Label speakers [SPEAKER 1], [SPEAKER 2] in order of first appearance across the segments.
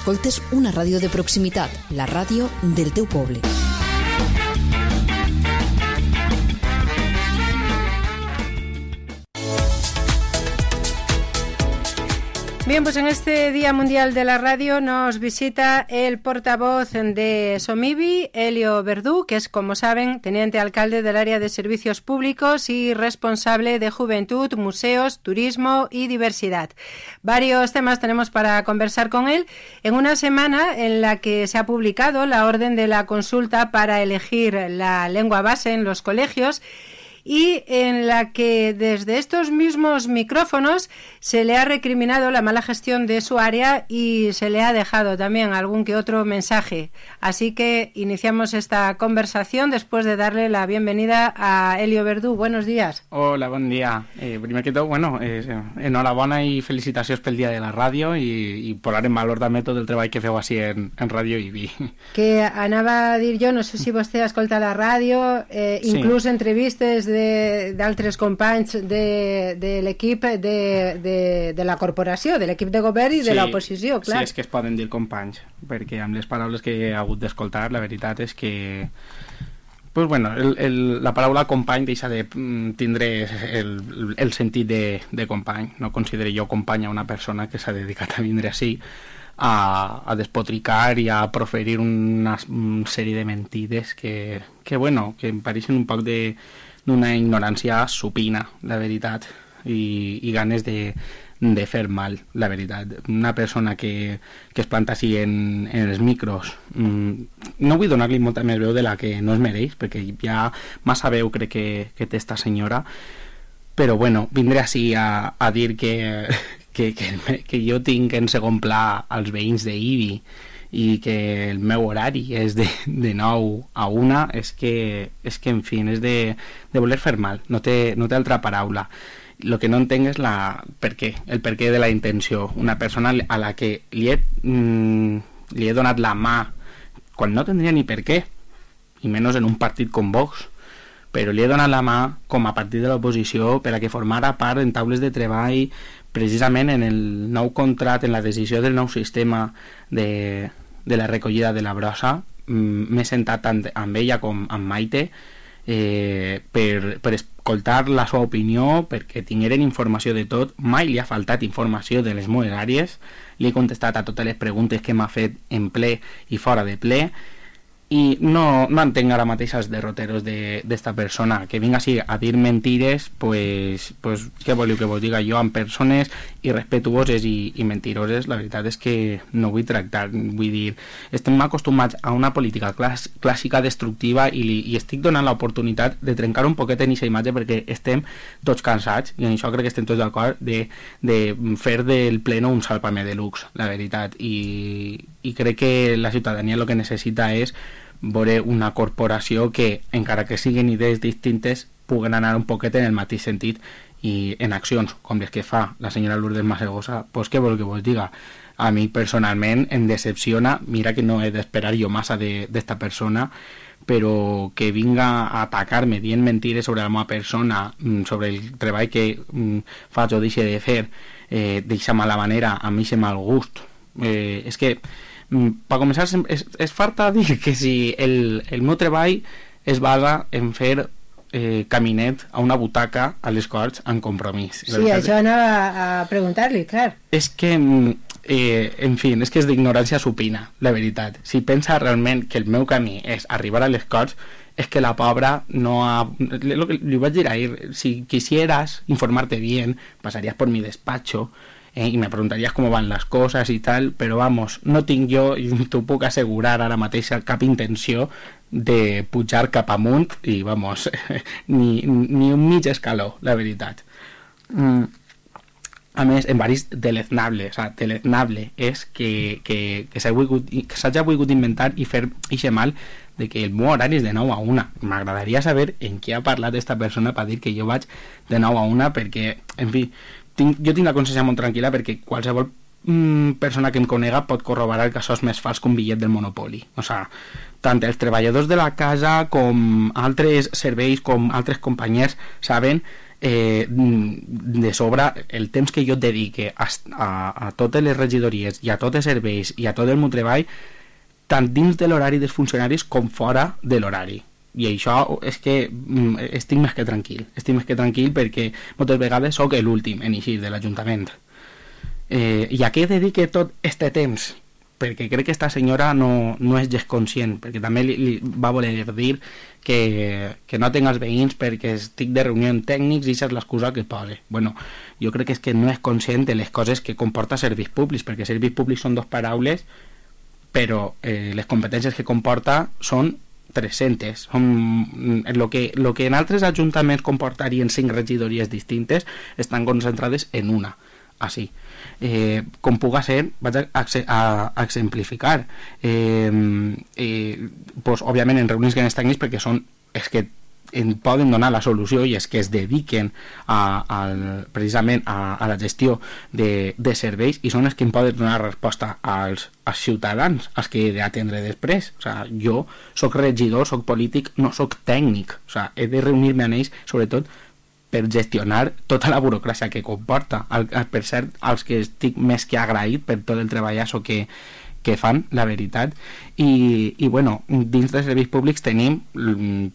[SPEAKER 1] escoltes una ràdio de proximitat, la ràdio del teu poble.
[SPEAKER 2] Bien, pues en este Día Mundial de la Radio nos visita el portavoz de Somibi, Elio Verdú, que es, como saben, teniente alcalde del área de servicios públicos y responsable de juventud, museos, turismo y diversidad. Varios temas tenemos para conversar con él en una semana en la que se ha publicado la orden de la consulta para elegir la lengua base en los colegios, y en la que desde estos mismos micrófonos se le ha recriminado la mala gestión de su área y se le ha dejado también algún que otro mensaje. Así que iniciamos esta conversación después de darle la bienvenida a Elio Verdú. Buenos días.
[SPEAKER 3] Hola, bon dia. Primer que tot, enhorabona i felicitacions pel Dia de la Ràdio i posar en valor també tot el treball que feu així en Ràdio IBI.
[SPEAKER 2] Que anava a dir jo, no sé si vostè escolta la ràdio, inclús entrevistes d'altres companys de l'equip de la corporació, de l'equip de govern i de l'oposició, clar.
[SPEAKER 3] Sí, és que es poden dir companys, perquè amb les paraules que he hagut d'escoltar, la veritat és que la paraula company deixa de tindre el sentit de company. No considero jo company a una persona que s'ha dedicat a vindre així a despotricar i a proferir una sèrie de mentides que em pareixen un poc d'una ignorància supina, la veritat, i ganes de fer mal, la veritat. Una persona que es planta així en els micros, no vull donar-li molta més veu de la que no es mereix, perquè ja massa veu crec que té esta senyora, però vindré així a dir que jo tinc en segon pla als veïns d'Ibi i que el meu horari és de 9 a 1, és que en fi, és de voler fer mal, no té altra paraula. El que no entenc és el perquè de la intenció. Una persona a la que li he donat la mà quan no tindria ni per què, i menys en un partit com Vox, però li he donat la mà com a partit de l'oposició per a que formara part en taules de treball precisament en el nou contracte, en la decisió del nou sistema de la recollida de la brossa. M'he sentat tant amb ella com amb Maite per escoltar la seva opinió, perquè tingueren informació de tot. Mai li ha faltat informació de les meves àrees, li he contestat a totes les preguntes que m'ha fet en ple i fora de ple, i no entenc ara mateix els derroteros d'esta persona que vinga així a dir mentires. Pues què voleu que vos diga jo? Amb persones irrespetuoses i mentiroses, la veritat és que no vull tractar. Vull dir, estem acostumats a una política clàssica destructiva i estic donant l'oportunitat de trencar un poquet en aquesta imatge, perquè estem tots cansats, i en això crec que estem tots d'acord, de fer del pleno un sálvame deluxe, la veritat. I crec que la ciutadania el que necessita és veure una corporació que, encara que siguin idees distintes, puguen anar un poquet en el mateix sentit i en accions com les que fa la senyora Lourdes Masegosa. Pues què vol que vos diga? A mi personalment em decepciona. Mira que no he d'esperar jo massa d'esta persona, però que vinga a atacar-me dient mentires sobre la meva persona, sobre el treball que faig o deixe de fer d'aquesta mala manera, a mi se mal gust. És que per començar, és farta dir que si el meu treball es basa en fer caminet a una butaca a les Corts amb compromís.
[SPEAKER 2] Sí, això anava a preguntar-li, clar. És que,
[SPEAKER 3] en fi, és que és d'ignorància supina, la veritat. Si pensa realment que el meu camí és arribar a les Corts, és que la pobra no ha... Li vaig dir ahir, si quisieras informarte bien, pasarías por mi despacho, y me preguntarías cómo van las cosas y tal, pero vamos, no tinc jo, i t'ho puc assegurar ara mateix, cap intenció de pujar cap amunt, i vamos, ni un mig escaló, la veritat. A més, en varis deleznable, o sea, deleznable és que s'hagi volgut inventar i fer ixe mal de que el meu horari és de 9 a 1. M'agradaria saber en què ha parlat esta persona per dir que jo vaig de 9 a 1, perquè, en fi, jo tinc la consciència molt tranquil·la, perquè qualsevol persona que em conega pot corroborar que això és més fals que un bitllet del Monopoly. O sea, tant els treballadors de la casa com altres serveis, com altres companys saben de sobre el temps que jo et dedique a totes les regidories i a tots els serveis i a tot el meu treball, tant dins de l'horari dels funcionaris com fora de l'horari. I això és que estic més que tranquil perquè moltes vegades sóc l'últim en eixir de l'Ajuntament. I a què dedique tot este temps? Perquè crec que esta senyora no és gens conscient, perquè també li va voler dir que no tinc els veïns perquè estic de reunió amb tècnics i això és l'excusa que posa. Bueno, jo crec que és que no és conscient de les coses que comporta serveis públics, perquè serveis públics són 2 paraules, però les competències que comporta són 300. El que en altres ajuntaments comportarien 5 regidories distintes estan concentrades en una. Així. Com puga ser, vaig a exemplificar. Pues, òbviament en reunions grans tècnics perquè són els que en poden donar la solució i és que es dediquen precisament a la gestió de serveis i són els que en poden donar resposta als ciutadans, als que he d'atendre després. O sigui, jo soc regidor, soc polític, no soc tècnic. O sigui, he de reunir-me amb ells, sobretot per gestionar tota la burocràcia que comporta. Per cert, als que estic més que agraït per tot el treballasso que fan, la veritat. I bueno, dins dels serveis públics tenim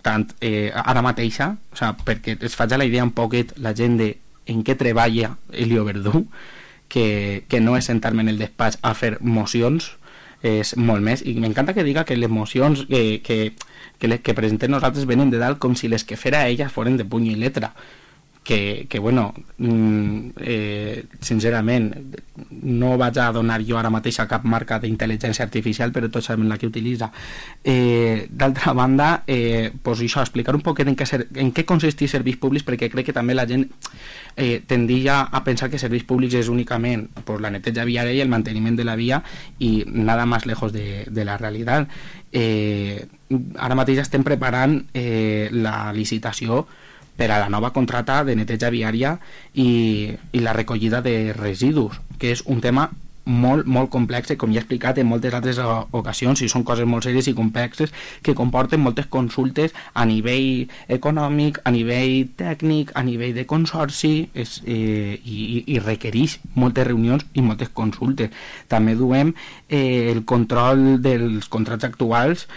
[SPEAKER 3] tant ara mateixa, o sigui, perquè es faig la idea un poquet la gent de en què treballa Elio Verdú, que no és sentar-me en el despatx a fer mocions, és molt més, i m'encanta que diga que les mocions que presentem nosaltres venen de dalt com si les que fera ella foren de puny i letra, que bueno, sincerament no vaig a donar jo ara mateix a cap marca d'intel·ligència artificial, però tots sabem la que utilitza. D'altra banda, pues això, explicar un poc en què consisteix serveis públics, perquè crec que també la gent tendia a pensar que serveis públics és únicament pues, la neteja viària i el manteniment de la via i nada más lejos de la realitat. Ara mateix estem preparant la licitació per a la nova contrata de neteja viària i la recollida de residus, que és un tema molt, molt complex, com ja he explicat en moltes altres ocasions, i són coses molt sèries i complexes que comporten moltes consultes a nivell econòmic, a nivell tècnic, a nivell de consorci, i requereix moltes reunions i moltes consultes. També duem el control dels contrats actuals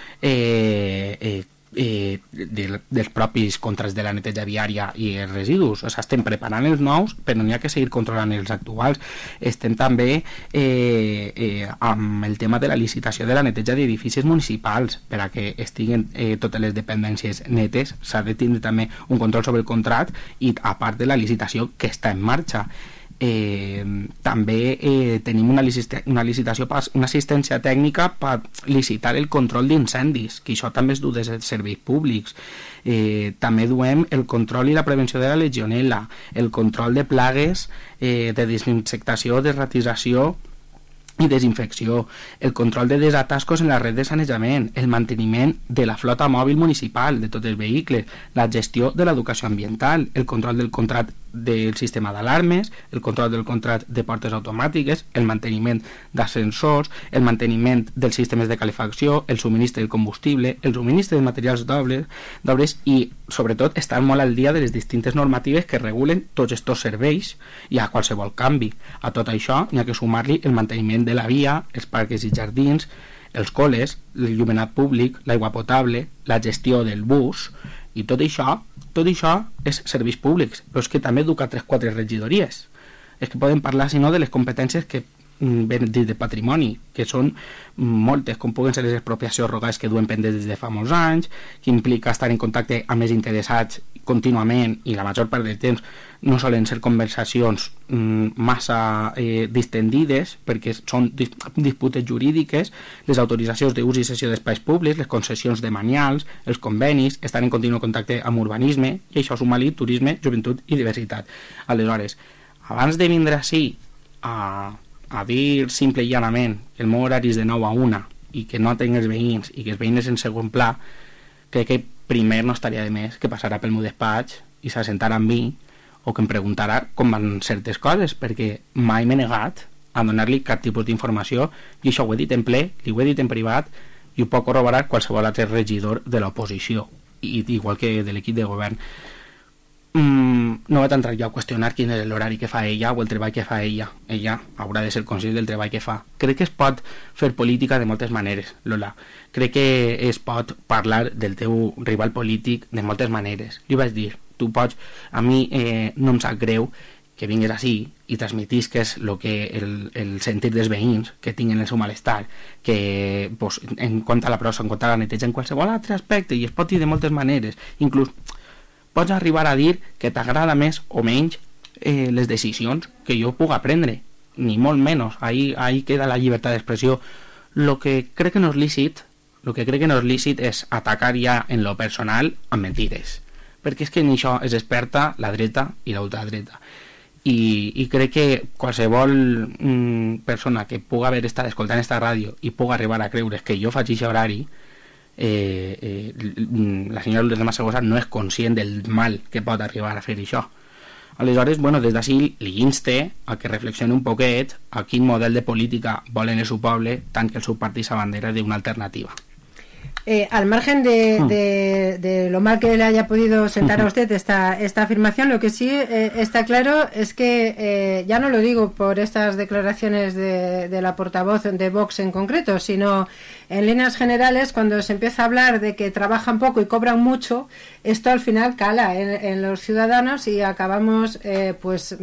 [SPEAKER 3] dels propis contrats de la neteja viària i els residus. O sigui, estem preparant els nous, però n'hi ha que seguir controlant els actuals. Estem també amb el tema de la licitació de la neteja d'edificis municipals. Per a que estiguen totes les dependències netes s'ha de tindre també un control sobre el contracte i a part de la licitació que està en marxa. També tenim una licitació, una assistència tècnica per licitar el control d'incendis, que això també es du des dels serveis públics. També duem el control i la prevenció de la legionel·la, el control de plagues, de desinsectació, desratització i desinfecció, el control de desatascos en la red de sanejament, el manteniment de la flota mòbil municipal de tots els vehicles, la gestió de l'educació ambiental, el control del contracte del sistema d'alarmes, el control del contracte de portes automàtiques, el manteniment d'ascensors, el manteniment dels sistemes de calefacció, el subministre del combustible, el subministre de materials d'obres i, sobretot, estar molt al dia de les distintes normatives que regulen tots aquests serveis i a qualsevol canvi. A tot això n'hi ha que sumar-li el manteniment de la via, els parcs i jardins, els col·les, l'il·luminat públic, l'aigua potable, la gestió del bus, i tot això és serveis públics, però és que també educa 3-4 regidories. És que podem parlar, si no, de les competències que venen de patrimoni, que són moltes, com puguen ser les expropiacions rogades que duen pendents des de fa molts anys, que implica estar en contacte amb els interessats contínuament, i la major part del temps no solen ser conversacions massa distendides, perquè són disputes jurídiques, les autoritzacions d'ús i cessió d'espais públics, les concessions de manials, els convenis, estar en continu contacte amb urbanisme, i això suma-li turisme, joventut i diversitat. Aleshores, abans de vindre així a dir simple i llanament que el meu horari és de 9 a 1 i que no tinc els veïns i que els veïns en segon pla, crec que primer no estaria de més que passarà pel meu despatx i s'assentarà amb mi o que em preguntarà com van certes coses, perquè mai m'he negat a donar-li cap tipus d'informació, i això ho he dit en ple, li ho he dit en privat, i ho pot corroborar qualsevol altre regidor de l'oposició, igual que de l'equip de govern. no vaig entrar jo a qüestionar quin és l'horari que fa ella o el treball que fa ella. Ella haurà de ser conscient del treball que fa. Crec que es pot fer política de moltes maneres, Lola. Crec que es pot parlar del teu rival polític de moltes maneres. Li vaig dir, tu pots... A mi no em sap greu que vingués així i transmetisques el sentir dels veïns que tinguen el seu malestar, que pues, en quant a la prosa, en quant a la neteja, en qualsevol altre aspecte, i es pot dir de moltes maneres. Inclús pots arribar a dir que t'agrada més o menys les decisions que jo puc prendre, ni molt menys. Ahí queda la llibertat d'expressió. Lo que crec que no és lícit és atacar ja en lo personal amb mentides, perquè és que en això és experta la dreta i l'ultradreta. I crec que qualsevol persona que puga haver estat escoltant esta ràdio i puga arribar a creure que jo faig aquest horari, la senyora Lourdes Masegosa no és conscient del mal que pot arribar a fer això. Aleshores, bueno, des d'ací li inste a que reflexioni un poquet a quin model de política volen el seu poble, tant que el seu partit s'abandera d'una alternativa.
[SPEAKER 2] Al margen de lo mal que le haya podido sentar a usted esta afirmación, lo que sí está claro es que, ya no lo digo por estas declaraciones de la portavoz de Vox en concreto, sino en líneas generales, cuando se empieza a hablar de que trabajan poco y cobran mucho, esto al final cala en los ciudadanos y acabamos pues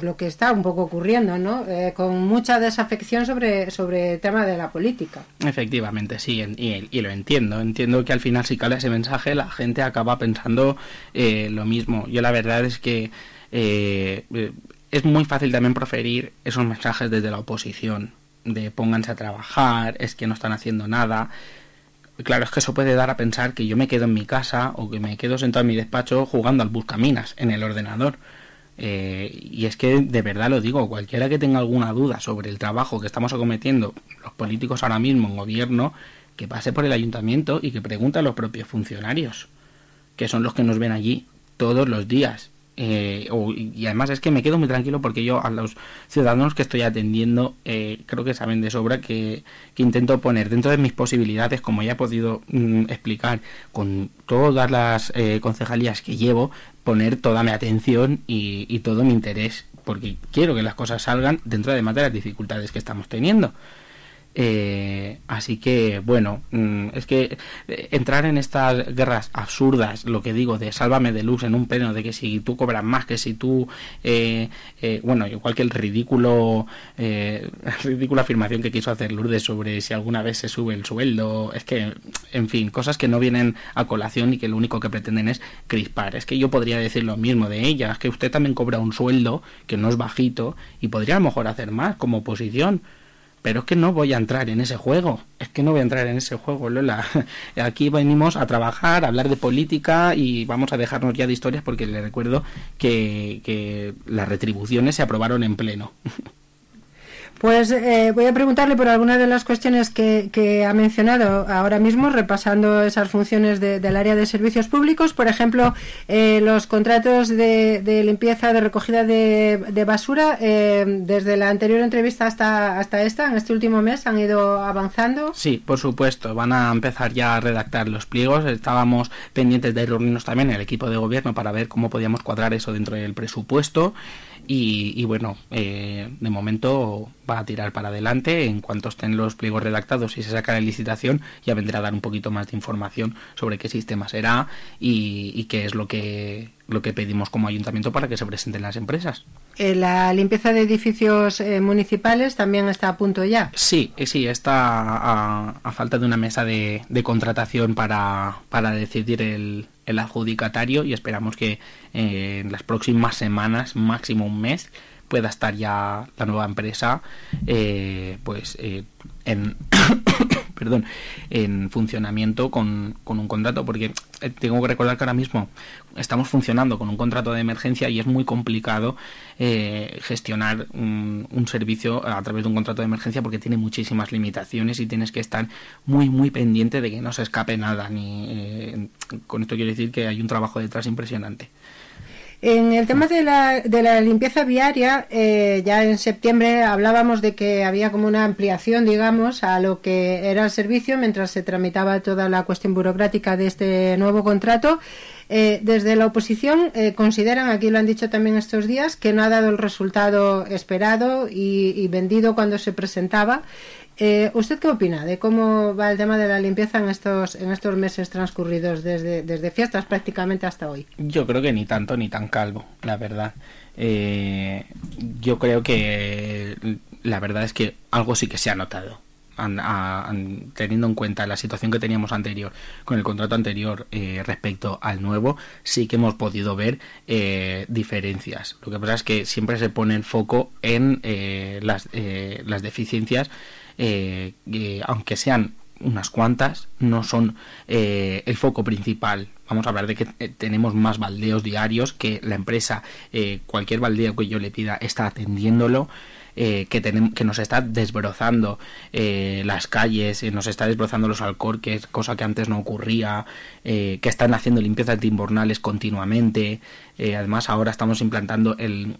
[SPEAKER 2] lo que está un poco ocurriendo, ¿no? Con mucha desafección sobre el tema de la política.
[SPEAKER 3] Efectivamente, sí, y lo entiendo que al final si cala ese mensaje la gente acaba pensando lo mismo. Yo la verdad es que es muy fácil también proferir esos mensajes desde la oposición, de pónganse a trabajar, es que no están haciendo nada. Claro, es que eso puede dar a pensar que yo me quedo en mi casa o que me quedo sentado en mi despacho jugando al buscaminas en el ordenador. Y es que de verdad lo digo, cualquiera que tenga alguna duda sobre el trabajo que estamos acometiendo los políticos ahora mismo en gobierno, que pase por el ayuntamiento y que pregunte a los propios funcionarios, que son los que nos ven allí todos los días. Y además es que me quedo muy tranquilo porque yo a los ciudadanos que estoy atendiendo creo que saben de sobra que intento poner dentro de mis posibilidades, como ya he podido explicar con todas las concejalías que llevo, poner toda mi atención y todo mi interés, porque quiero que las cosas salgan dentro de las dificultades que estamos teniendo. Así que bueno, es que entrar en estas guerras absurdas, lo que digo de sálvame de luz en un pleno, de que si tú cobras más, que si tú bueno, igual que el ridícula afirmación que quiso hacer Lourdes sobre si alguna vez se sube el sueldo, es que, en fin, cosas que no vienen a colación y que lo único que pretenden es crispar. Es que yo podría decir lo mismo de ella, es que usted también cobra un sueldo que no es bajito y podría a lo mejor hacer más como oposición. Pero es que no voy a entrar en ese juego, Lola. Aquí venimos a trabajar, a hablar de política y vamos a dejarnos ya de historias porque le recuerdo que las retribuciones se aprobaron en pleno.
[SPEAKER 2] Pues voy a preguntarle por algunas de las cuestiones que ha mencionado ahora mismo, repasando esas funciones del área de servicios públicos. Por ejemplo, los contratos de limpieza, de recogida de basura, desde la anterior entrevista hasta esta, en este último mes, ¿han ido avanzando?
[SPEAKER 3] Sí, por supuesto, van a empezar ya a redactar los pliegos. Estábamos pendientes de reunirnos también en el equipo de gobierno para ver cómo podíamos cuadrar eso dentro del presupuesto. Y bueno, de momento va a tirar para adelante. En cuanto estén los pliegos redactados y se saca la licitación, ya vendrá a dar un poquito más de información sobre qué sistema será y qué es lo que pedimos como ayuntamiento para que se presenten las empresas.
[SPEAKER 2] ¿La limpieza de edificios municipales también está a punto ya?
[SPEAKER 3] Sí, está a falta de una mesa de contratación para decidir el adjudicatario y esperamos que en las próximas semanas, máximo un mes, pueda estar ya la nueva empresa en funcionamiento con un contrato, porque tengo que recordar que ahora mismo estamos funcionando con un contrato de emergencia y es muy complicado gestionar un servicio a través de un contrato de emergencia porque tiene muchísimas limitaciones y tienes que estar muy muy pendiente de que no se escape nada. Con esto quiero decir que hay un trabajo detrás impresionante.
[SPEAKER 2] En el tema de la limpieza viaria, ya en septiembre hablábamos de que había como una ampliación, digamos, a lo que era el servicio mientras se tramitaba toda la cuestión burocrática de este nuevo contrato. Desde la oposición consideran, aquí lo han dicho también estos días, que no ha dado el resultado esperado y vendido cuando se presentaba. ¿Usted qué opina de cómo va el tema de la limpieza en estos meses transcurridos desde fiestas prácticamente hasta hoy?
[SPEAKER 3] Yo creo que ni tanto ni tan calvo, la verdad. Yo creo que la verdad es que algo sí que se ha notado. Teniendo en cuenta la situación que teníamos anterior con el contrato anterior respecto al nuevo, sí que hemos podido ver diferencias. Lo que pasa es que siempre se pone el foco en las deficiencias, aunque sean unas cuantas, no son el foco principal. Vamos a hablar de que tenemos más baldeos diarios, que la empresa, cualquier baldeo que yo le pida, está atendiéndolo. Que nos está desbrozando las calles, nos está desbrozando los alcorques, cosa que antes no ocurría, que están haciendo limpiezas invernales continuamente. Además, ahora estamos implantando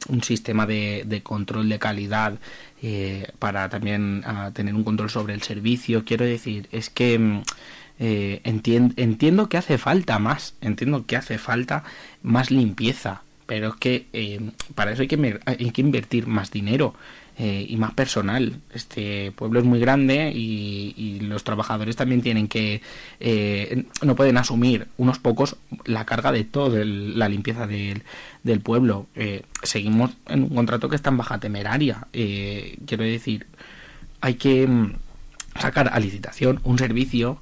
[SPEAKER 3] un sistema de control de calidad para también tener un control sobre el servicio. Quiero decir, es que entiendo que hace falta más, limpieza, pero es que para eso hay que invertir más dinero y más personal. Este pueblo es muy grande y los trabajadores también tienen que no pueden asumir unos pocos la carga de toda la limpieza del pueblo. Seguimos en un contrato que está en baja temeraria. Quiero decir, hay que sacar a licitación un servicio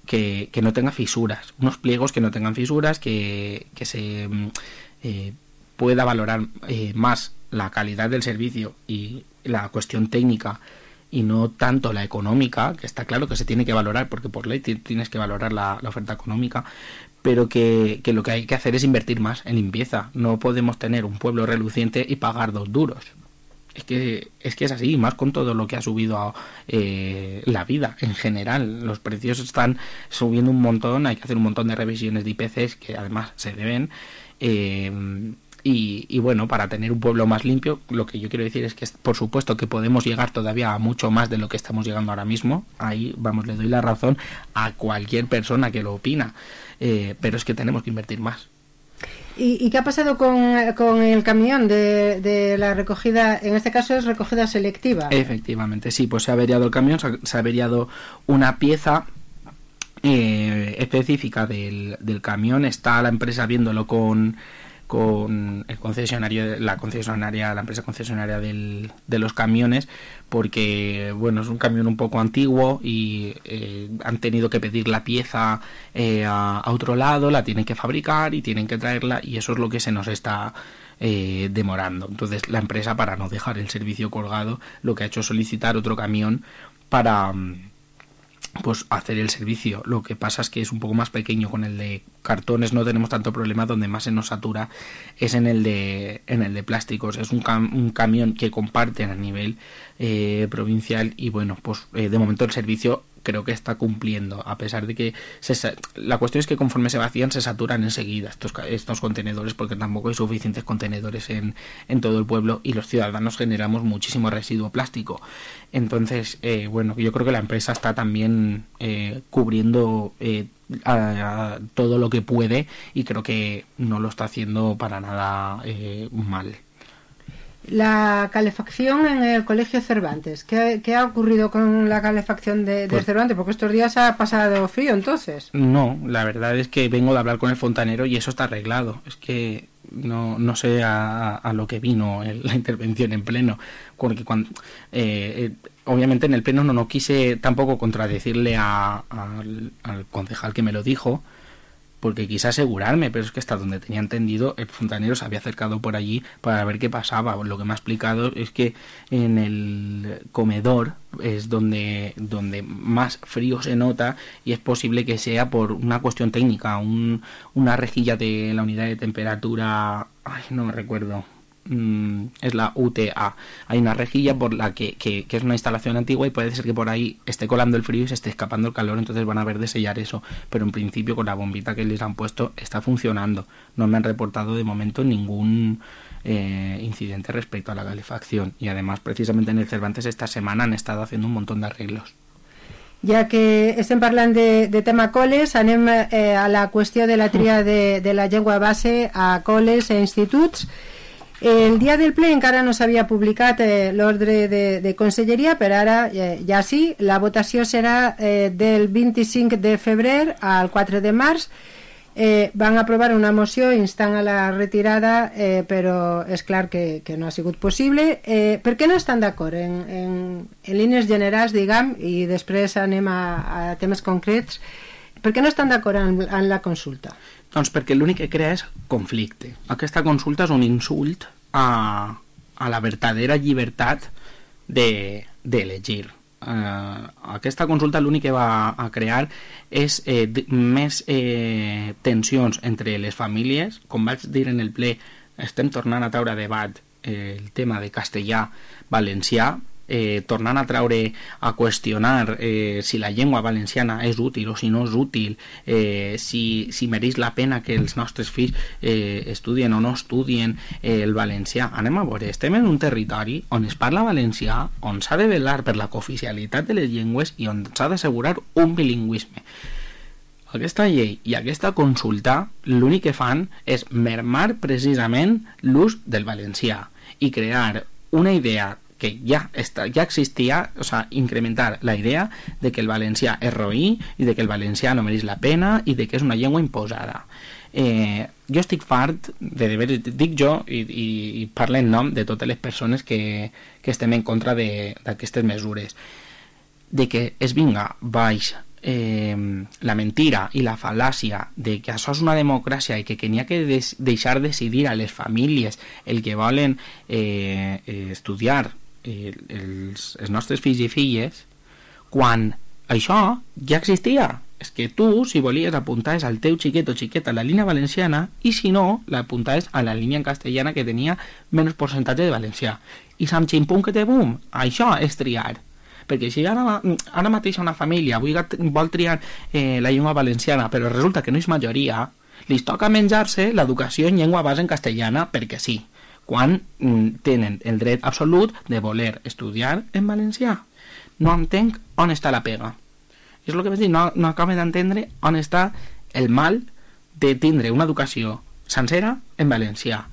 [SPEAKER 3] que no tenga fisuras, unos pliegos que no tengan fisuras, que se pueda valorar más la calidad del servicio y la cuestión técnica y no tanto la económica, que está claro que se tiene que valorar porque por ley tienes que valorar la oferta económica, pero que lo que hay que hacer es invertir más en limpieza. No podemos tener un pueblo reluciente y pagar 2 duros. Es que es así, más con todo lo que ha subido la vida en general. Los precios están subiendo un montón, hay que hacer un montón de revisiones de IPCs que además se deben. Y bueno, para tener un pueblo más limpio, lo que yo quiero decir es que por supuesto que podemos llegar todavía a mucho más de lo que estamos llegando ahora mismo. Ahí, vamos, le doy la razón a cualquier persona que lo opina, pero es que tenemos que invertir más.
[SPEAKER 2] ¿Y qué ha pasado con el camión de la recogida? En este caso es recogida selectiva.
[SPEAKER 3] Efectivamente, sí, pues se ha averiado el camión, se ha averiado una pieza específica del camión. Está la empresa viéndolo con el concesionario, la empresa concesionaria de los camiones, porque bueno, es un camión un poco antiguo y han tenido que pedir la pieza a otro lado, la tienen que fabricar y tienen que traerla, y eso es lo que se nos está demorando. Entonces la empresa, para no dejar el servicio colgado, lo que ha hecho es solicitar otro camión para pues hacer el servicio. Lo que pasa es que es un poco más pequeño. Con el de cartones no tenemos tanto problema, donde más se nos satura es en el de plásticos. Es un camión que comparten a nivel provincial y bueno, pues de momento el servicio creo que está cumpliendo, a pesar de que la cuestión es que conforme se vacían se saturan enseguida estos contenedores, porque tampoco hay suficientes contenedores en todo el pueblo y los ciudadanos generamos muchísimo residuo plástico. Entonces, bueno, yo creo que la empresa está también cubriendo a todo lo que puede, y creo que no lo está haciendo para nada mal.
[SPEAKER 2] La calefacción en el Colegio Cervantes. ¿Qué ha ocurrido con la calefacción de Cervantes? Porque estos días ha pasado frío, entonces.
[SPEAKER 3] No, la verdad es que vengo de hablar con el fontanero y eso está arreglado. Es que no sé a lo que vino la intervención en pleno. Porque obviamente en el pleno no quise tampoco contradecirle al concejal que me lo dijo, porque quise asegurarme, pero es que hasta donde tenía entendido el fontanero se había acercado por allí para ver qué pasaba. Lo que me ha explicado es que en el comedor es donde más frío se nota, y es posible que sea por una cuestión técnica, una rejilla de la unidad de temperatura, no me recuerdo, es la UTA. Hay una rejilla por la que es una instalación antigua, y puede ser que por ahí esté colando el frío y se esté escapando el calor, entonces van a haber de sellar eso, pero en principio con la bombita que les han puesto está funcionando. No me han reportado de momento ningún incidente respecto a la calefacción, y además precisamente en el Cervantes esta semana han estado haciendo un montón de arreglos.
[SPEAKER 2] Ja que estem parlant de tema col·les, anem a la qüestió de la tria de la llengua base a col·les i instituts. El dia del ple encara no s'havia publicat l'ordre de conselleria, però ara ja sí, la votació serà del 25 de febrer al 4 de març. Van aprovar una moció instant a la retirada, però és clar que no ha sigut possible. Per què no estan d'acord en línies generals, diguem, i després anem a temes concrets? Per què no estan d'acord en la consulta?
[SPEAKER 3] Doncs perquè l'únic que crea és conflicte. Aquesta consulta és un insult a la verdadera llibertat d'elegir. Aquesta consulta l'únic que va a crear és més tensions entre les famílies. Com vaig dir en el ple, estem tornant a treure a debat el tema de castellà-valencià, tornant a treure a qüestionar si la llengua valenciana és útil o si no és útil, si mereix la pena que els nostres fills estudien o no estudien el valencià. Anem a veure, estem en un territori on es parla valencià, on s'ha de vetllar per la cooficialitat de les llengües i on s'ha d'assegurar un bilingüisme. Aquesta llei i aquesta consulta l'únic que fan és mermar precisament l'ús del valencià i crear una idea que ja existia, o sea, incrementar la idea de que el valencià és roí i de que el valencià no mereix la pena i de que és una llengua imposada. Jo estic fart, dic jo i parlo en nom de totes les persones que estem en contra d'aquestes mesures, de que es vinga baix la mentira i la fal·làcia de que això és una democràcia i que n'hi ha que deixar decidir a les famílies el que volen estudiar els nostres fills i filles, quan això ja existia. És que tu, si volies, apuntaves al teu xiquet o xiqueta a la línia valenciana i si no, l'apuntaves a la línia en castellana que tenia menys percentatge de valencià. I sam ximpum que té bum, això és triar. Perquè si ara mateix una família vol triar la llengua valenciana però resulta que no és majoria, li toca menjar-se l'educació en llengua base en castellana perquè sí, quan tenen el dret absolut de voler estudiar en valencià. No entenc on està la pega. És el que vaig dir, no acabo d'entendre on està el mal de tindre una educació sencera en valencià.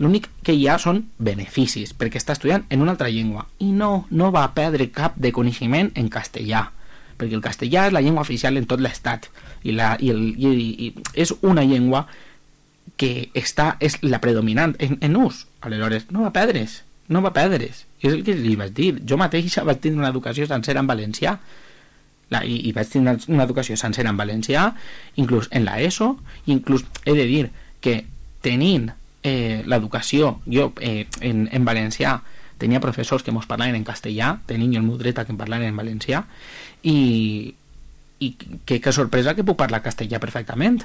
[SPEAKER 3] L'únic que hi ha són beneficis, perquè està estudiant en una altra llengua i no va perdre cap de coneixement en castellà, perquè el castellà és la llengua oficial en tot l'estat i és una llengua que és la predominant en ús. Aleshores, no va perdre's. És el que li vaig dir. Jo mateix vaig tindre una educació sencera en valencià i vaig tindre una educació sencera en valencià, inclús en l'ESO, inclús he de dir que tenint l'educació, jo en valencià tenia professors que mos parlaven en castellà, tenint jo el meu dret a que em parlaven en valencià i que sorpresa que puc parlar castellà perfectament.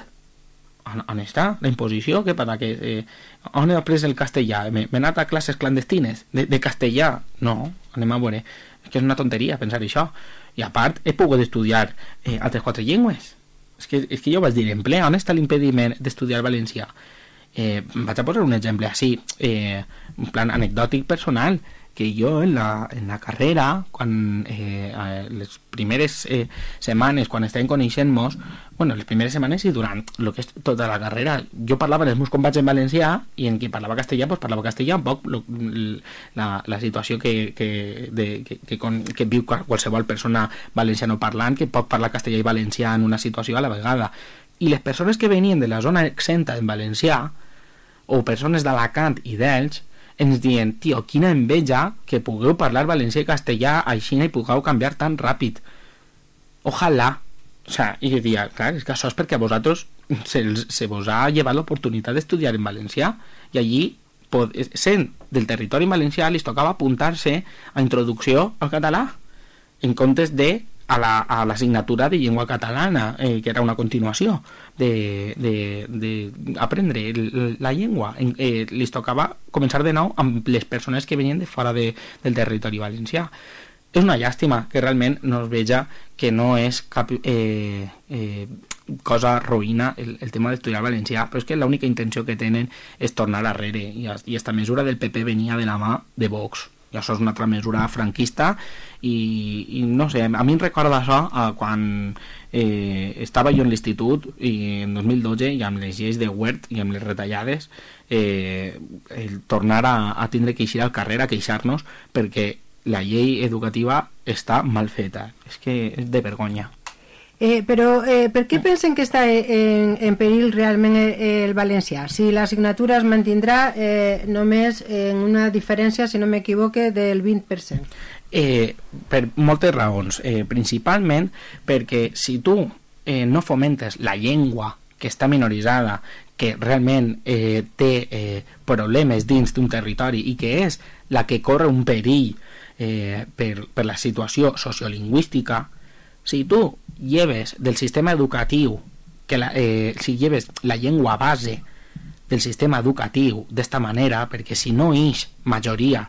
[SPEAKER 3] On està la imposició? On he après el castellà? M'he anat a classes clandestines de castellà? No, anem a veure, és que és una tonteria pensar això. I a part he pogut estudiar altres 4 llengües. És que jo vaig dir en ple, on està l'impediment d'estudiar valencià? Vaig a posar un exemple així, en plan anecdòtic personal, que jo en la carrera, quan les primeres setmanes, quan estàvem coneixent-nos, les primeres setmanes i durant el que és tota la carrera, jo parlava amb els meus companys en valencià i en qui parlava castellà, doncs parlava castellà, un poc la situació que viu qualsevol persona valencianoparlant que pot parlar castellà i valencià en una situació a la vegada. I les persones que venien de la zona exenta en valencià, o persones d'Alacant i d'Elx, ens diuen, tio, quina enveja que pugueu parlar valencià i castellà així i pugueu canviar tan ràpid. Ojalà. O sea, i jo diria, clar, és que això és perquè a vosaltres se vos ha llevat l'oportunitat d'estudiar en valencià i allí, sent del territori valencià, li tocava apuntar-se a introducció al català en comptes de a l'assignatura de llengua catalana, que era una continuació d'aprendre la llengua. Li tocava començar de nou amb les persones que venien de fora del territori valencià. És una llàstima que realment no es veja que no és cap cosa ruïna el tema d'estudiar valencià, però és que l'única intenció que tenen és tornar arrere i aquesta mesura del PP venia de la mà de Vox. i això és una altra mesura franquista i no sé, a mi em recorda això quan estava jo en l'institut i en 2012 i amb les lleis de Wert i amb les retallades el tornar a tindre que eixir al carrer a queixar-nos perquè la llei educativa està mal feta, és que és de vergonya.
[SPEAKER 2] Però per què pensen que està en perill realment el valencià? Si l'assignatura es mantindrà només en una diferència, si no m'equivoque, del 20%.
[SPEAKER 3] Per moltes raons. Principalment perquè si tu no fomentes la llengua que està minoritzada, que realment té problemes dins d'un territori i que és la que corre un perill per la situació sociolingüística, si tu lleves del sistema educatiu si lleves la llengua base del sistema educatiu d'esta manera, perquè si no ix majoria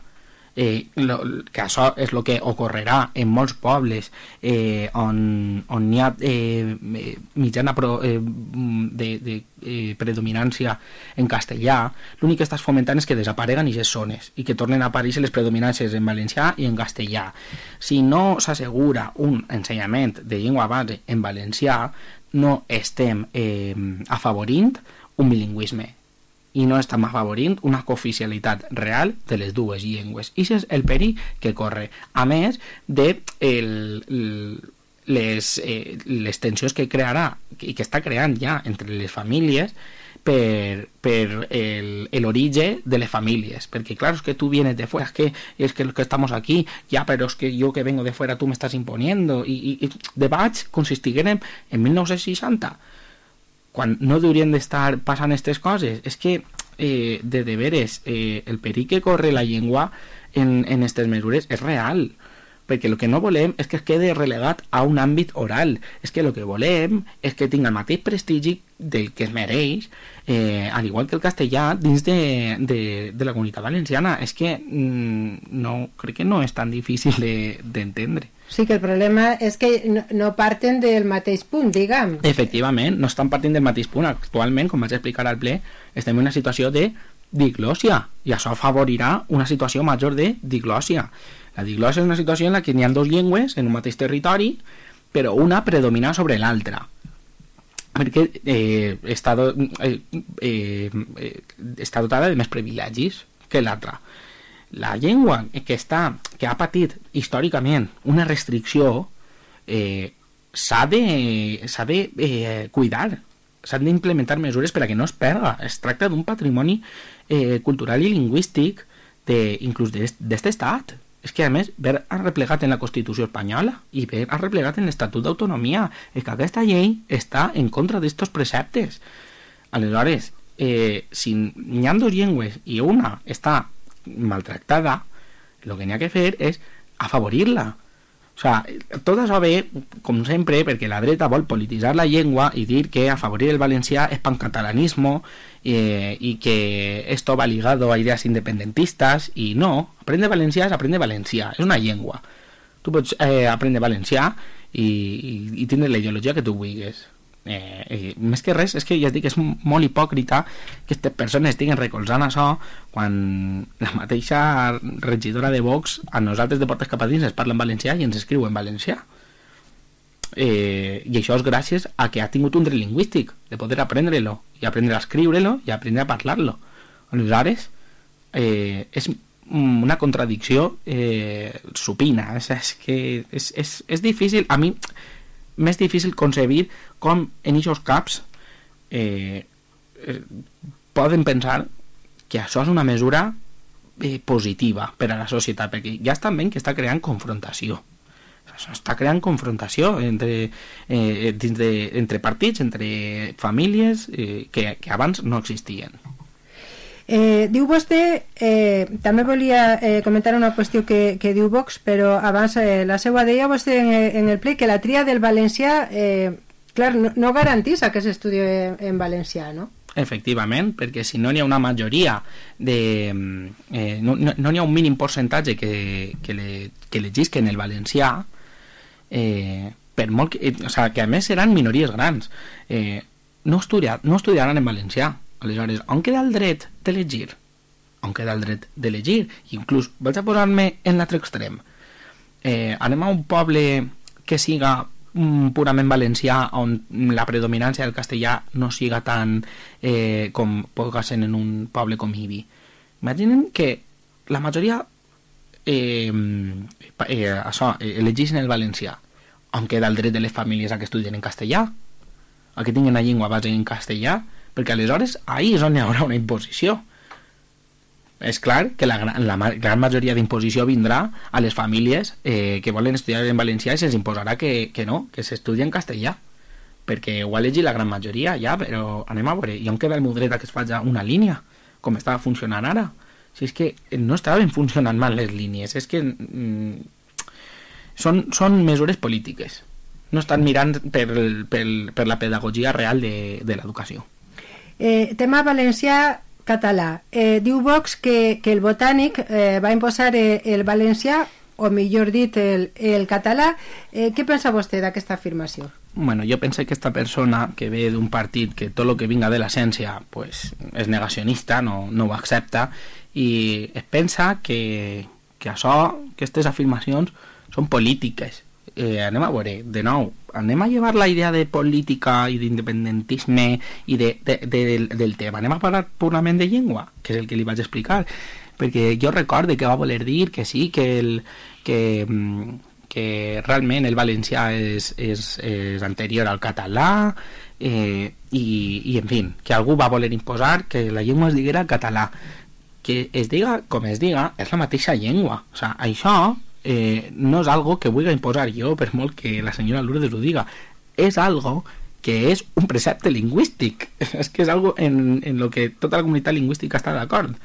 [SPEAKER 3] que això és el que ocorrerà en molts pobles on hi ha mitjana de predominància en castellà, l'únic que estàs fomentant és que desapareguen aquestes zones i que tornen a aparèixer les predominàncies en valencià i en castellà. Si no s'assegura un ensenyament de llengua base en valencià, no estem afavorint un bilingüisme i no estem afavorint una cooficialitat real de les dues llengües. I això és el perill que corre, a més de les tensions que crearà i que està creant ja entre les famílies per l'origen de les famílies, perquè claro, es que tú vienes de fuera, es que los que estamos aquí, ya, pero es que yo que vengo de fuera tú me estás imponiendo, i debats consistigueren en 1960, quan no haurien d'estar passant aquestes coses. És que de veres el perill que corre la llengua en aquestes mesures és real, perquè el que no volem és que es quede relegat a un àmbit oral, és que el que volem és que tingui el mateix prestigi del que es mereix, al igual que el castellà dins de la comunitat valenciana. És que crec que no és tan difícil d'entendre.
[SPEAKER 2] Sí, que el problema és que no parten del mateix punt, diguem.
[SPEAKER 3] Efectivament, no estan partint del mateix punt. Actualment, com vaig explicar al ple, estem en una situació de diglòsia i això afavorirà una situació major de diglòsia. La diglòsia és una situació en la que hi ha dues llengües en un mateix territori, però una predomina sobre l'altra, perquè està dotada de més privilegis que l'altra. La llengua que ha patit històricament una restricció s'ha de cuidar, s'han d'implementar mesures per a que no es perda. Es tracta d'un patrimoni cultural i lingüístic inclús d'aquest estat. És que a més ver arreplegat en la Constitució espanyola i ver arreplegat en l'Estatut d'Autonomia, és que aquesta llei està en contra d'estos preceptes. Aleshores, si hi ha dues llengües i una està maltractada, el que n'hi ha que fer és afavorir-la. O sigui, tot això ve, com sempre, perquè la dreta vol polititzar la llengua i dir que afavorir el valencià és pancatalanismo i que esto va ligado a ideas independentistas, i no, aprendre valencià és aprendre valencià, és una llengua. Tu pots aprendre valencià i tindre la ideologia que tu vulguis. Més que res, és que ja et dic, és molt hipòcrita que aquestes persones estiguin recolzant això quan la mateixa regidora de Vox a nosaltres de portes cap a dins es parla en valencià i ens escriu en valencià, i això és gràcies a que ha tingut un dret lingüístic de poder aprendre-lo i aprendre a escriure-lo i aprendre a parlar-lo. Aleshores és una contradicció supina. És que és difícil, a mi més difícil concebir com en aquests caps poden pensar que això és una mesura positiva per a la societat, perquè ja estan veient que està creant confrontació. Això està creant confrontació entre partits, entre famílies que abans no existien.
[SPEAKER 2] Diu vostè, també volia comentar una qüestió que diu Vox, però abans la seva deia vostè en el ple que la tria del valencià clar, no garantís que s'estudi en valencià, no?
[SPEAKER 3] Efectivament, perquè si no hi ha una majoria no hi ha un mínim percentatge que legisquen el valencià, per molt o sigui, que a més seran minories grans, no estudiaran en valencià. Aleshores, on queda el dret d'elegir? on queda el dret d'elegir. Inclús vaig a posar-me en l'altre extrem. Anem a un poble que siga purament valencià, on la predominància del castellà no siga tan com pot ser en un poble com Ibi. Imaginen que la majoria elegeixen el valencià, on queda el dret de les famílies a que estudien en castellà, a que tinguin la llengua base en castellà, perquè aleshores ahí és on hi haurà una imposició. És clar que la gran majoria d'imposició vindrà a les famílies que volen estudiar en valencià i se'ls imposarà que no, que s'estudi en castellà, perquè ho ha elegit la gran majoria ja, però anem a veure, i on queda el meu dret a que es faci una línia, com estava funcionant ara? Si és que no estaven funcionant mal les línies, és que són mesures polítiques, no estan mirant per la pedagogia real de l'educació.
[SPEAKER 2] Tema valencià català. Diu Vox que el Botànic va imposar el valencià, o millor dit el català. Què pensa vostè d'aquesta afirmació?
[SPEAKER 3] Bueno, jo penso que aquesta persona que ve d'un partit que tot el que vinga de l'essència pues, és negacionista, no ho accepta, i es pensa que aquestes afirmacions són polítiques. Anem a veure, de nou, anem a llevar la idea de política i d'independentisme i del tema, anem a parlar purament de llengua, que és el que li vaig explicar, perquè jo recorde que va voler dir que sí, que realment el valencià és anterior al català, i en fi, que algú va voler imposar que la llengua es diguera català. Que es diga com es diga, és la mateixa llengua. O sigui, això no és algo que vulgui imposar jo, per molt que la senyora Lourdes ho diga. És algo que és un precepte lingüístic. És que és algo en lo que tota la comunitat lingüística està d'acord. O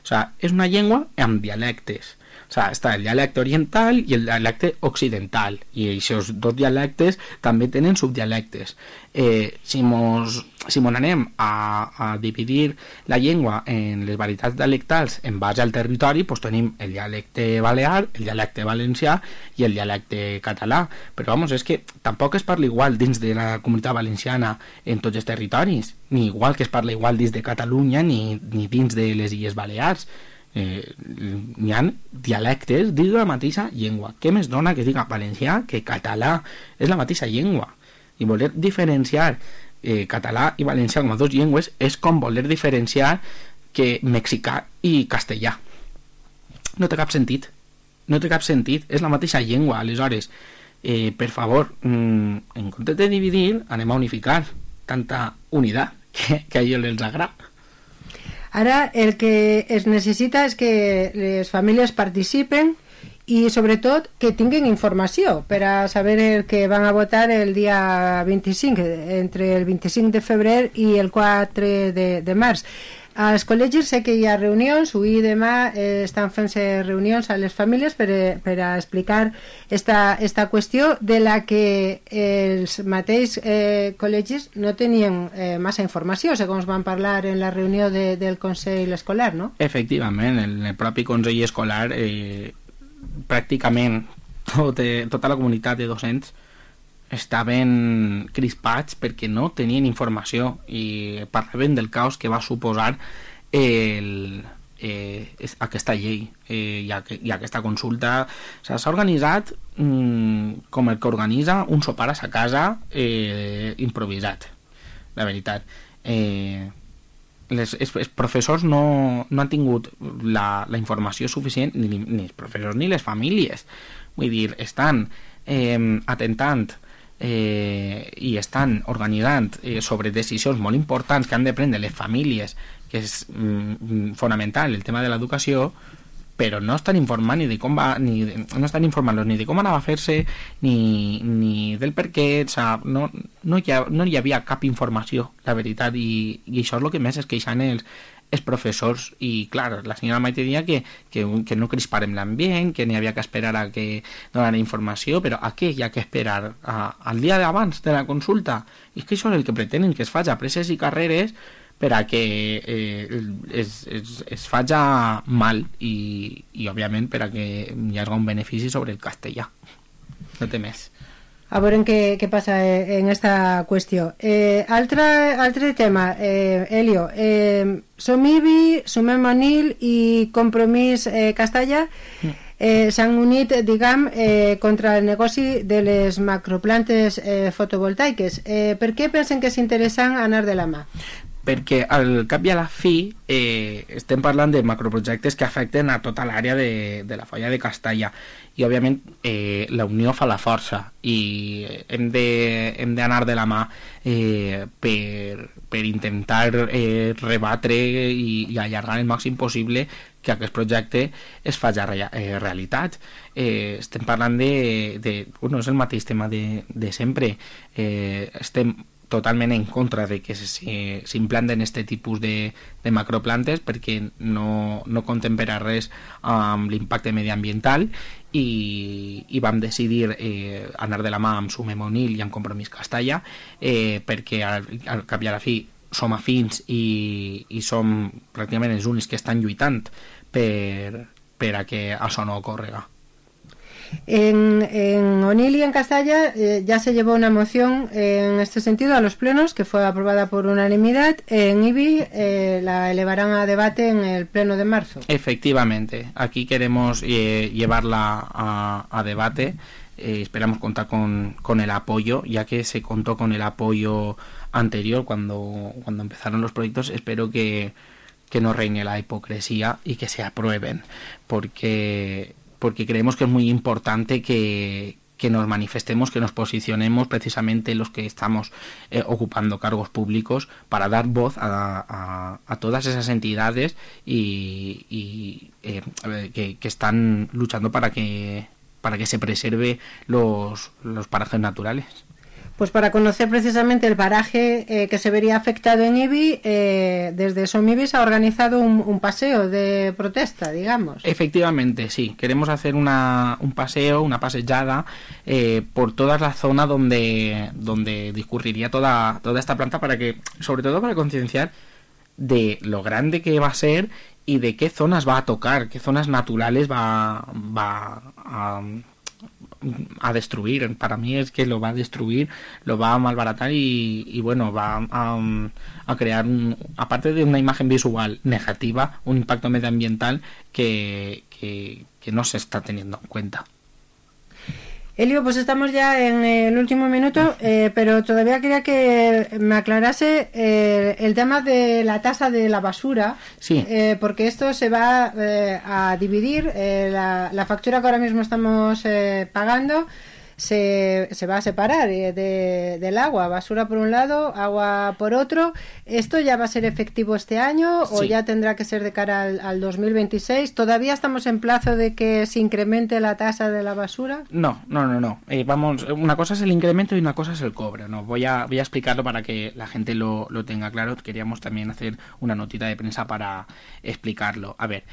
[SPEAKER 3] sigui, és una llengua amb dialectes. O sigui, està el dialecte oriental i el dialecte occidental, i aquests dos dialectes també tenen subdialectes. Si mos anem a dividir la llengua en les varietats dialectals en base al territori, doncs tenim el dialecte balear, el dialecte valencià i el dialecte català. Però vamos, és que tampoc es parla igual dins de la comunitat valenciana en tots els territoris, ni igual que es parla igual dins de Catalunya ni dins de les Illes Balears. Hi ha dialectes dins de la mateixa llengua. Què més dona que diga valencià que català? És la mateixa llengua, i voler diferenciar català i valencià com a dues llengües és com voler diferenciar que mexicà i castellà. No té cap sentit, és la mateixa llengua. Aleshores, per favor, en comptes de dividir, anem a unificar. Tanta unitat que a ells els agrada.
[SPEAKER 2] Ara el que es necessita és que les famílies participen i sobretot que tinguin informació per a saber el que van a votar el dia 25, entre el 25 de febrer i el 4 de març. Als col·legis sé que hi ha reunions, avui i demà estan fent-se reunions a les famílies per a explicar esta qüestió de la que els mateixos col·legis no tenien massa informació, segons van parlar en la reunió del Consell Escolar, no?
[SPEAKER 3] Efectivament, en el propi Consell Escolar pràcticament tota la comunitat de docents estaven crispats perquè no tenien informació i parlaven del caos que va suposar aquesta llei i aquesta consulta. S'ha organitzat com el que organitza un sopar a sa casa improvisat, la veritat. Els professors no han tingut la informació suficient, ni els professors ni les famílies. Vull dir, estan atentant i estan organitzant sobre decisions molt importants que han de prendre les famílies, que és fonamental el tema de l'educació, però no estan informant ni de com va, no estan informant-los ni de com anava a fer-se ni del per què. No hi havia cap informació, la veritat, i això és el que més es queixen els professors. I clar, la senyora Maite deia que no crisparem l'ambient, que n'hi havia que esperar a que donara informació, però a què hi ha que esperar? Al dia d'abans de la consulta? I és que això és el que pretenen, que es faci a presses i carreres per a que es faci mal i òbviament per a que hi hagi un benefici sobre el castellà. No té més.
[SPEAKER 2] a veure què passa en esta qüestió. Altre tema, Elio, Som IBI, Sumem Onil i Compromís Castalla s'han unit, diguem, contra el negoci de les macroplantes fotovoltaiques. Per què pensen que és interessant anar de la mà?
[SPEAKER 3] Perquè al cap i a la fi estem parlant de macroprojectes que afecten a tota l'àrea de la Foia de Castalla i òbviament la unió fa la força i hem d'anar de la mà per intentar rebatre i allargar el màxim possible que aquest projecte es faci realitat. Estem parlant bueno, és el mateix tema de sempre. Estem totalment en contra de que s'implanten aquest tipus de macroplantes perquè no contempera res amb l'impacte mediambiental i vam decidir anar de la mà amb Sumem Onil i amb Compromís Castalla perquè al cap i a la fi som afins i som pràcticament els únics que estan lluitant per a que això no ocórrega.
[SPEAKER 2] En Onil y en Castalla ya se llevó una moción en este sentido a los plenos que fue aprobada por unanimidad. En IBI la elevarán a debate en el pleno de marzo.
[SPEAKER 3] Efectivamente, aquí queremos llevarla a debate. Esperamos contar con el apoyo, ya que se contó con el apoyo anterior cuando empezaron los proyectos. Espero que no reine la hipocresía y que se aprueben, porque creemos que es muy importante que nos manifestemos, que nos posicionemos precisamente los que estamos ocupando cargos públicos para dar voz a todas esas entidades y que están luchando para que se preserve los parajes naturales.
[SPEAKER 2] Pues para conocer precisamente el paraje que se vería afectado en IBI, desde Som IBI se ha organizado un paseo de protesta, digamos.
[SPEAKER 3] Efectivamente, sí. Queremos hacer un paseo, una pasejada por toda la zona donde discurriría toda esta planta sobre todo para concienciar de lo grande que va a ser y de qué zonas va a tocar, qué zonas naturales va a destruir. Para mí es que lo va a destruir, lo va a malbaratar y bueno, va a crear aparte de una imagen visual negativa, un impacto medioambiental que no se está teniendo en cuenta.
[SPEAKER 2] Elio, pues estamos ya en el último minuto, pero todavía quería que me aclarase el tema de la tasa de la basura,
[SPEAKER 3] sí.
[SPEAKER 2] Porque esto se va a dividir, la factura que ahora mismo estamos pagando se va a separar del agua, basura por un lado, agua por otro. ¿Esto ya va a ser efectivo este año o ya tendrá que ser de cara al 2026? ¿Todavía estamos en plazo de que se incremente la tasa de la basura?
[SPEAKER 3] No. Vamos, una cosa es el incremento y una cosa es el cobro. No, voy a explicarlo para que la gente lo tenga claro. Queríamos también hacer una notita de prensa para explicarlo. A ver,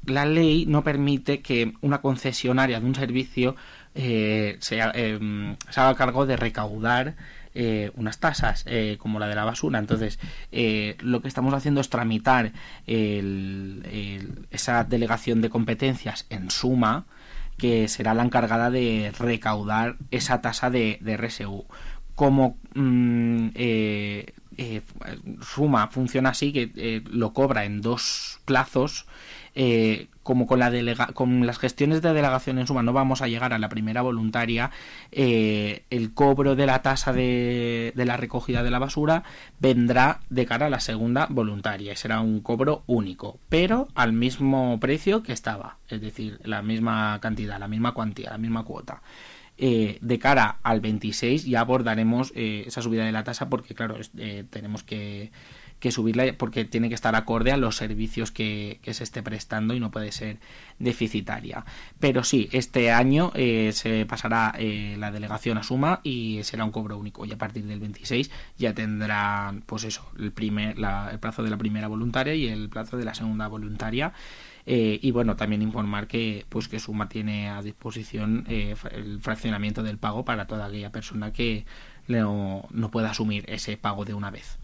[SPEAKER 3] la ley no permite que una concesionaria de un servicio se haga cargo de recaudar unas tasas como la de la basura. Entonces lo que estamos haciendo es tramitar esa delegación de competencias en Suma, que será la encargada de recaudar esa tasa de RSU. Como Suma funciona así, que lo cobra en 2 plazos, como con las gestiones de delegación en Suma no vamos a llegar a la primera voluntaria, el cobro de la tasa de la recogida de la basura vendrá de cara a la segunda voluntaria y será un cobro único, pero al mismo precio que estaba, es decir, la misma cantidad, la misma cuantía, la misma cuota. De cara al 26 ya abordaremos esa subida de la tasa porque claro, tenemos que subirla porque tiene que estar acorde a los servicios que se esté prestando y no puede ser deficitaria. Pero sí, este año se pasará la delegación a Suma y será un cobro único, y a partir del 26 ya tendrán pues eso, el plazo de la primera voluntaria y el plazo de la segunda voluntaria. Y bueno, también informar que Suma tiene a disposición el fraccionamiento del pago para toda aquella persona que no pueda asumir ese pago de una vez.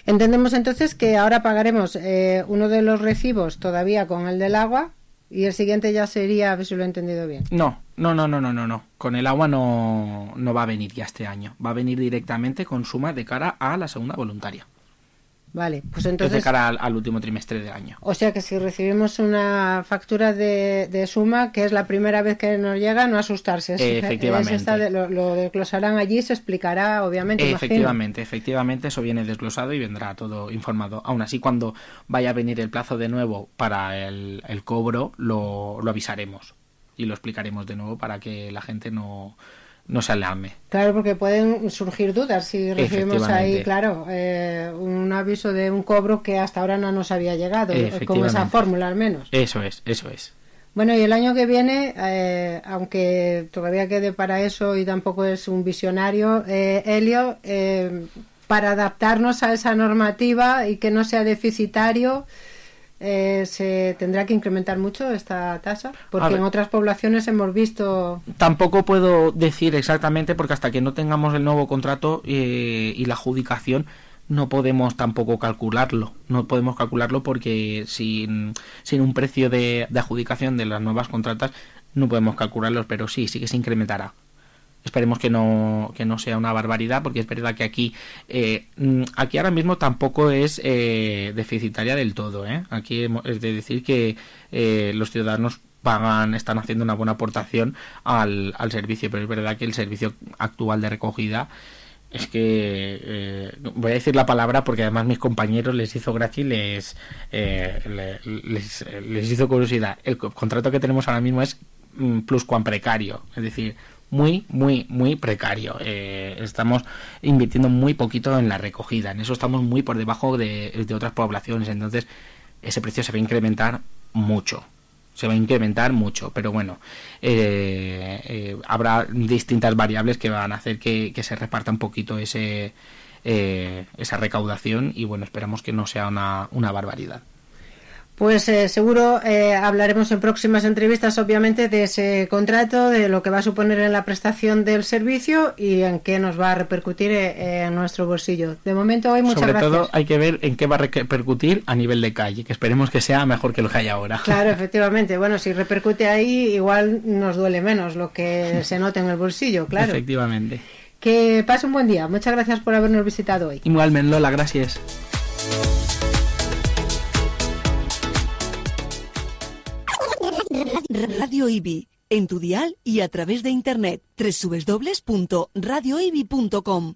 [SPEAKER 2] Entendemos entonces que ahora pagaremos uno de los recibos todavía con el del agua Y el siguiente ya sería, a ver si lo he entendido bien.
[SPEAKER 3] No. Con el agua no va a venir ya este año. Va a venir directamente con suma de cara a la segunda voluntaria.
[SPEAKER 2] Vale, pues entonces...
[SPEAKER 3] Es de cara al último trimestre del año.
[SPEAKER 2] O sea que si recibimos una factura de suma, que es la primera vez que nos llega, no asustarse.
[SPEAKER 3] Efectivamente.
[SPEAKER 2] Lo desglosarán allí, se explicará, obviamente.
[SPEAKER 3] Efectivamente, eso viene desglosado y vendrá todo informado. Aún así, cuando vaya a venir el plazo de nuevo para el cobro, lo avisaremos y lo explicaremos de nuevo para que la gente no se alarme.
[SPEAKER 2] Claro, porque pueden surgir dudas si recibimos ahí, claro, un aviso de un cobro que hasta ahora no nos había llegado, con esa fórmula al menos.
[SPEAKER 3] Eso es.
[SPEAKER 2] Bueno, y el año que viene, aunque todavía quede para eso y tampoco es un visionario, Elio, para adaptarnos a esa normativa y que no sea deficitario, se tendrá que incrementar mucho esta tasa, porque en otras poblaciones hemos visto...
[SPEAKER 3] Tampoco puedo decir exactamente, porque hasta que no tengamos el nuevo contrato y la adjudicación no podemos tampoco calcularlo. No podemos calcularlo porque sin un precio de adjudicación de las nuevas contratas no podemos calcularlos, pero sí que se incrementará. Esperemos que no sea una barbaridad, porque es verdad que aquí ahora mismo tampoco es deficitaria del todo, ¿eh? Aquí es de decir que los ciudadanos están haciendo una buena aportación al servicio, pero es verdad que el servicio actual de recogida es que voy a decir la palabra porque además mis compañeros les hizo gracia y les hizo curiosidad. El contrato que tenemos ahora mismo es pluscuamprecario, es decir, muy precario. Estamos invirtiendo muy poquito en la recogida, en eso estamos muy por debajo de otras poblaciones, entonces ese precio se va a incrementar mucho, pero bueno, habrá distintas variables que van a hacer que se reparta un poquito esa recaudación y bueno, esperamos que no sea una barbaridad.
[SPEAKER 2] Pues seguro hablaremos en próximas entrevistas, obviamente, de ese contrato, de lo que va a suponer en la prestación del servicio y en qué nos va a repercutir en nuestro bolsillo. De momento, hoy muchas gracias.
[SPEAKER 3] Sobre todo hay que ver en qué va a repercutir a nivel de calle, que esperemos que sea mejor que lo que hay ahora.
[SPEAKER 2] Claro, efectivamente. Bueno, si repercute ahí, igual nos duele menos lo que se note en el bolsillo, claro.
[SPEAKER 3] Efectivamente.
[SPEAKER 2] Que pase un buen día. Muchas gracias por habernos visitado hoy.
[SPEAKER 3] Igualmente, Lola, gracias.
[SPEAKER 1] Radio IBI, en tu dial y a través de internet, www.radioibi.com.